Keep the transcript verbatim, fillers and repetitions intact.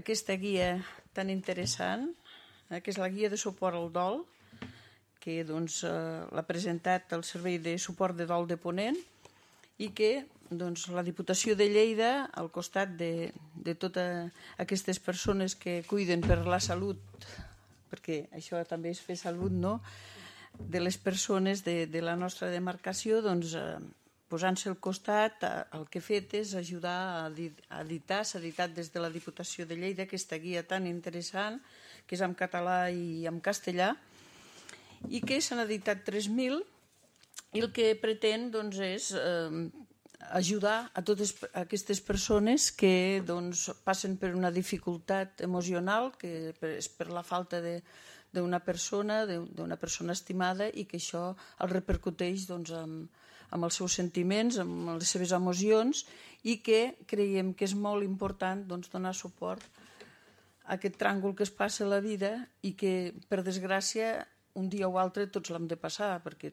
aquesta guia tan interessant, eh, que és la guia de suport al dol, que doncs, eh, l'ha presentat el Servei de Suport de Dol de Ponent i que doncs, la Diputació de Lleida, al costat de, de totes aquestes persones que cuiden per la salut, perquè això també és fer salut, no?, de les persones de, de la nostra demarcació, doncs, eh, posant-se al costat, el que ha fet és ajudar a editar, s'ha editat des de la Diputació de Lleida aquesta guia tan interessant, que és en català i en castellà, i que s'han editat tres mil, i el que pretén doncs, és eh, ajudar a totes aquestes persones que doncs, passen per una dificultat emocional, que és per la falta de d'una persona, d'una persona estimada, i que això el repercuteix doncs, amb, amb els seus sentiments, amb les seves emocions, i que creiem que és molt important doncs, donar suport a aquest tràngol que es passa a la vida i que, per desgràcia, un dia o altre tots l'hem de passar, perquè